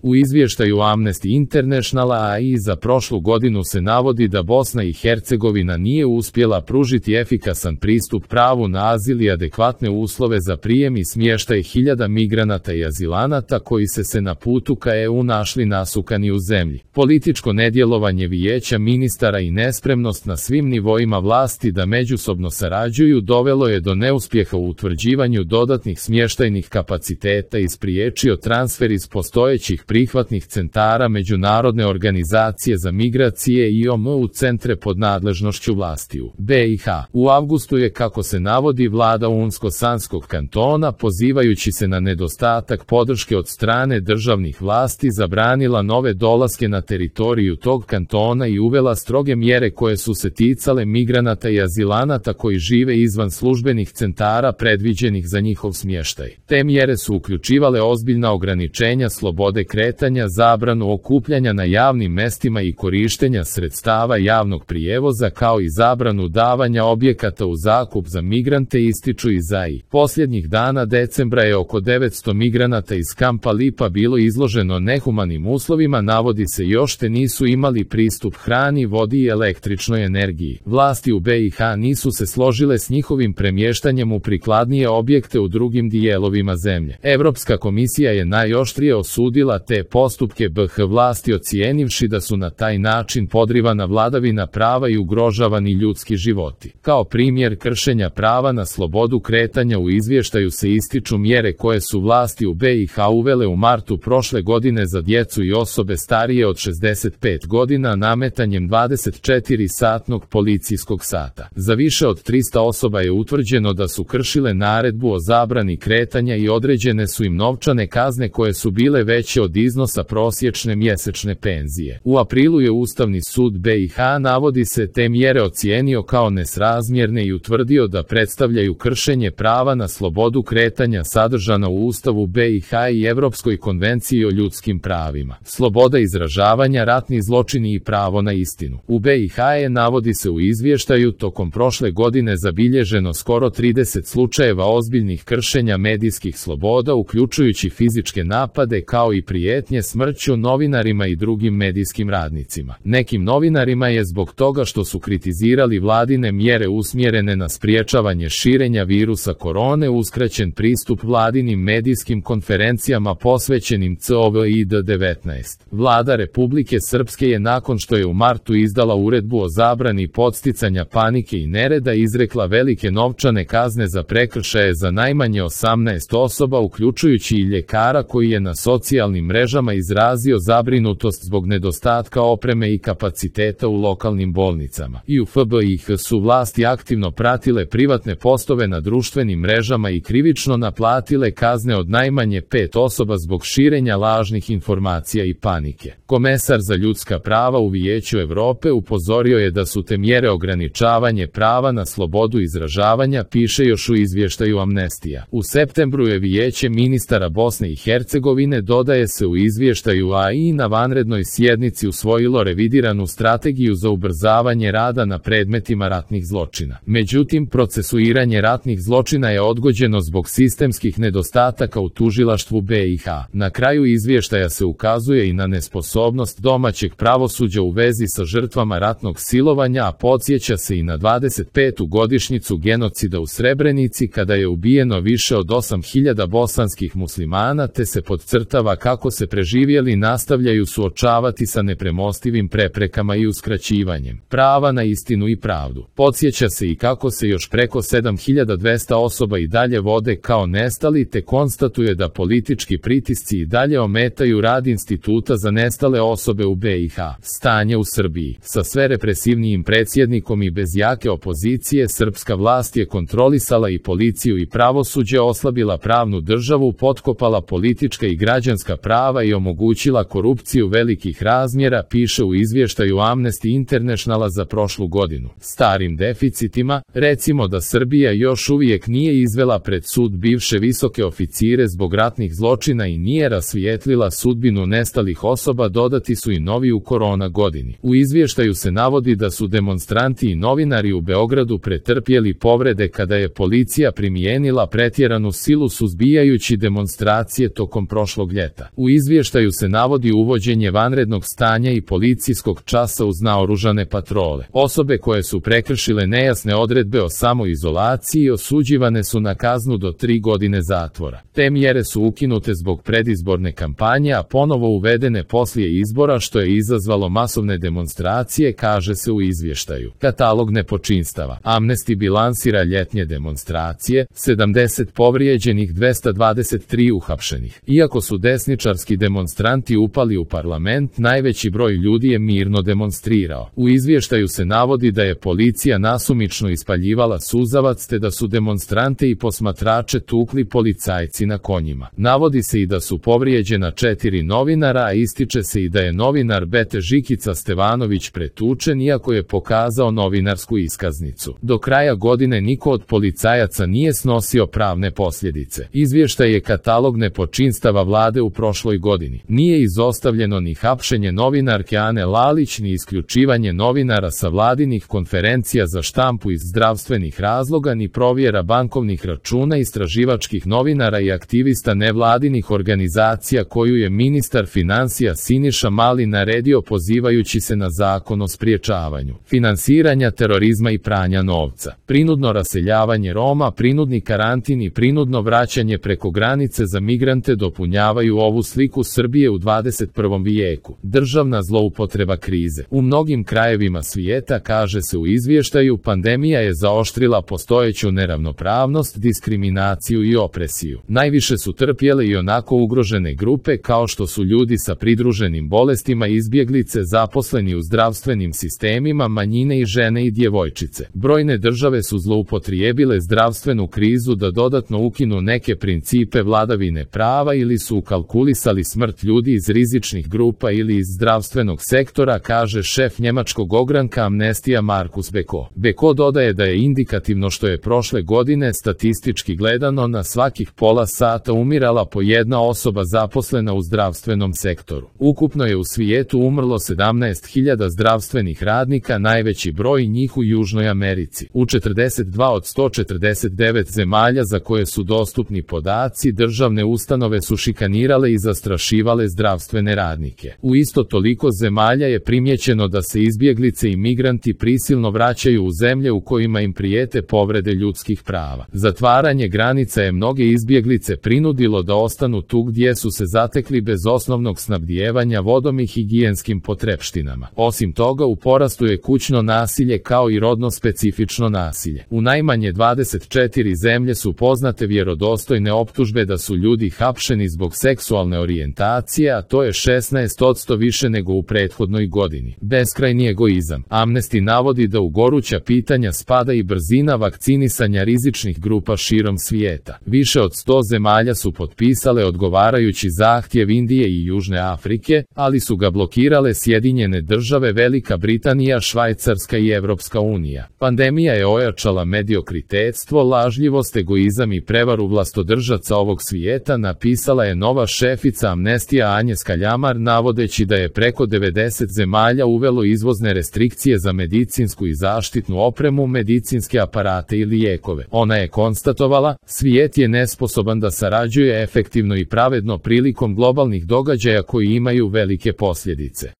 U izvještaju Amnesty Internationala i za prošlu godinu se navodi da Bosna i Hercegovina nije uspjela pružiti efikasan pristup pravu na azil i adekvatne uslove za prijem i smještaj hiljada migranata i azilanata koji se na putu ka EU našli nasukani u zemlji. Političko nedjelovanje vijeća ministara i nespremnost na svim nivoima vlasti da međusobno sarađuju dovelo je do neuspjeha u utvrđivanju dodatnih smještajnih kapaciteta i spriječio transfer iz postojećih prihvatnih centara Međunarodne organizacije za migracije IOM u centre pod nadležnošću vlasti u BiH. U avgustu je, kako se navodi, vlada Unsko-Sanskog kantona, pozivajući se na nedostatak podrške od strane državnih vlasti, zabranila nove dolaske na teritoriju tog kantona i uvela stroge mjere koje su se ticale migranata i azilanata koji žive izvan službenih centara predviđenih za njihov smještaj. Te mjere su uključivale ozbiljna ograničenja slobode kretanja, zabranu okupljanja na javnim mestima i korištenja sredstava javnog prijevoza, kao i zabranu davanja objekata u zakup za migrante, ističu iz AI. Posljednjih dana decembra je oko 900 migranata iz kampa Lipa bilo izloženo nehumanim uslovima, navodi se, još te nisu imali pristup hrani, vodi i električnoj energiji. Vlasti u BiH nisu se složile s njihovim premještanjem u prikladnije objekte u drugim dijelovima zemlje. Europska komisija je najoštrije osudila te postupke BiH vlasti, ocijenivši da su na taj način podrivana vladavina prava i ugrožavani ljudski životi. Kao primjer kršenja prava na slobodu kretanja u izvještaju se ističu mjere koje su vlasti u BiH uvele u martu prošle godine za djecu i osobe starije od 65 godina nametanjem 24-satnog policijskog sata. Za više od 300 osoba je utvrđeno da su kršile naredbu o zabrani kretanja i određene su im novčane kazne koje su bile veće od iznosa prosječne mjesečne penzije. U aprilu je Ustavni sud BiH, navodi se, te mjere ocijenio kao nesrazmjerne i utvrdio da predstavljaju kršenje prava na slobodu kretanja sadržana u Ustavu BiH i Europskoj konvenciji o ljudskim pravima. Sloboda izražavanja, ratni zločini i pravo na istinu. U BiH je, navodi se u izvještaju, tokom prošle godine zabilježeno skoro 30 slučajeva ozbiljnih kršenja medijskih sloboda, uključujući fizičke napade kao i prijetnje smrću novinarima i drugim medijskim radnicima. Nekim novinarima je zbog toga što su kritizirali vladine mjere usmjerene na spriječavanje širenja virusa korone uskraćen pristup vladinim medijskim konferencijama posvećenim COVID-19. Vlada Republike Srpske je, nakon što je u martu izdala uredbu o zabrani podsticanja panike i nereda, izrekla velike novčane kazne za prekršaje za najmanje 18 osoba, uključujući i ljekara koji je na socijalnim mrežama izrazio zabrinutost zbog nedostatka opreme i kapaciteta u lokalnim bolnicama. I u BiH su vlasti aktivno pratile privatne postove na društvenim mrežama i krivično naplatile kazne od najmanje 5 osoba zbog širenja lažnih informacija i panike. Komesar za ljudska prava u Vijeću Europe upozorio je da su te mjere ograničavanje prava na slobodu izražavanja, piše još u izvještaju Amnestija. U septembru je Vijeće ministara Bosne i Hercegovine, dodaje se u izvještaju AI, na vanrednoj sjednici usvojilo revidiranu strategiju za ubrzavanje rada na predmetima ratnih zločina. Međutim, procesuiranje ratnih zločina je odgođeno zbog sistemskih nedostataka u tužilaštvu BiH. Na kraju izvještaja se ukazuje i na nesposobnost domaćeg pravosuđa u vezi sa žrtvama ratnog silovanja, a podsjeća se i na 25. godišnjicu genocida u Srebrenici, kada je ubijeno više od 8.000 bosanskih muslimana, te se podcrtava kako se preživjeli nastavljaju suočavati sa nepremostivim preprekama i uskraćivanjem prava na istinu i pravdu. Podsjeća se i kako se još preko 7.200 osoba i dalje vode kao nestali, te konstatuje da politički pritisci i dalje ometaju rad Instituta za nestale osobe u BiH. Stanje u Srbiji. Sa sve represivnijim predsjednikom i bez jake opozicije, srpska vlast je kontrolisala i policiju i pravosuđe, oslabila pravnu državu, potkopala politička i građanska prava i omogućila korupciju velikih razmjera, piše u izvještaju Amnesty Internationala za prošlu godinu. Starim deficitima, recimo da Srbija još uvijek nije izvela pred sud bivše visoke oficire zbog ratnih zločina i nije rasvijetlila sudbinu nestalih osoba, dodati su i novi u korona godini. U izvještaju se navodi da su demonstranti i novinari u Beogradu pretrpjeli povrede kada je policija primijenila pretjeranu silu suzbijajući demonstracije tokom prošlog ljeta. U U izvještaju se navodi uvođenje vanrednog stanja i policijskog časa uz naoružane patrole. Osobe koje su prekršile nejasne odredbe o samoizolaciji osuđivane su na kaznu do 3 godine zatvora. Te mjere su ukinute zbog predizborne kampanje, a ponovo uvedene poslije izbora, što je izazvalo masovne demonstracije, kaže se u izvještaju. Katalog nepočinstava. Amnesty bilansira ljetnje demonstracije, 70 povrijeđenih, 223 uhapšenih. Iako su desničarski demonstranti upali u parlament, najveći broj ljudi je mirno demonstrirao. U izvještaju se navodi da je policija nasumično ispaljivala suzavac te da su demonstrante i posmatrače tukli policajci na konjima. Navodi se i da su povrijeđena 4 novinara, a ističe se i da je novinar Bete Žikica Stevanović pretučen iako je pokazao novinarsku iskaznicu. Do kraja godine niko od policajaca nije snosio pravne posljedice. Izvještaj je katalog nepočinstava vlade u prošloj godini. Nije izostavljeno ni hapšenje novinarke Ane Lalić, ni isključivanje novinara sa vladinih konferencija za štampu iz zdravstvenih razloga, ni provjera bankovnih računa istraživačkih novinara i aktivista nevladinih organizacija koju je ministar financija Siniša Mali naredio pozivajući se na Zakon o sprječavanju finansiranja terorizma i pranja novca. Prinudno raseljavanje Roma, prinudni karantin i prinudno vraćanje preko granice za migrante dopunjavaju ovu sliku Srbije u 21. vijeku. Državna zloupotreba krize. U mnogim krajevima svijeta, kaže se u izvještaju, pandemija je zaoštrila postojeću neravnopravnost, diskriminaciju i opresiju. Najviše su trpjele i onako ugrožene grupe kao što su ljudi sa pridruženim bolestima, izbjeglice, zaposleni u zdravstvenim sistemima, manjine i žene i djevojčice. Brojne države su zloupotrijebile zdravstvenu krizu da dodatno ukinu neke principe vladavine prava ili su ukalkulisali smrt ljudi iz rizičnih grupa ili iz zdravstvenog sektora, kaže šef njemačkog ogranka Amnestija Markus Beko. Beko dodaje da je indikativno što je prošle godine statistički gledano na svakih pola sata umirala po jedna osoba zaposlena u zdravstvenom sektoru. Ukupno je u svijetu umrlo 17.000 zdravstvenih radnika, najveći broj njih u Južnoj Americi. U 42 od 149 zemalja za koje su dostupni podaci, državne ustanove su šikanirale i zastrašivale zdravstvene radnike. U isto toliko zemalja je primijećeno da se izbjeglice i migranti prisilno vraćaju u zemlje u kojima im prijete povrede ljudskih prava. Zatvaranje granica je mnoge izbjeglice prinudilo da ostanu tu gdje su se zatekli bez osnovnog snabdijevanja vodom i higijenskim potrepštinama. Osim toga, u porastu je kućno nasilje kao i rodno specifično nasilje. U najmanje 24 zemlje su poznate vjerodostojne optužbe da su ljudi hapšeni zbog seksualne orijentacije, a to je 16% više nego u prethodnoj godini. Beskrajni egoizam. Amnesty navodi da u goruća pitanja spada i brzina vakcinisanja rizičnih grupa širom svijeta. Više od 100 zemalja su potpisale odgovarajući zahtjev Indije i Južne Afrike, ali su ga blokirale Sjedinjene Države, Velika Britanija, Švajcarska i Evropska unija. Pandemija je ojačala mediokritetstvo, lažljivost, egoizam i prevaru vlastodržaca ovog svijeta, napisala je nova šefica Amnestija Agnieszka Ljamar, navodeći da je preko 90 zemalja uvelo izvozne restrikcije za medicinsku i zaštitnu opremu, medicinske aparate i lijekove. Ona je konstatovala, svijet je nesposoban da sarađuje efektivno i pravedno prilikom globalnih događaja koji imaju velike posljedice.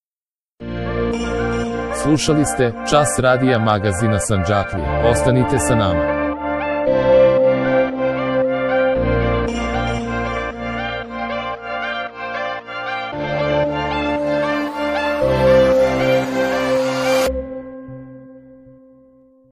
Slušali ste Čas radija magazina Sandžaklija. Ostanite sa nama.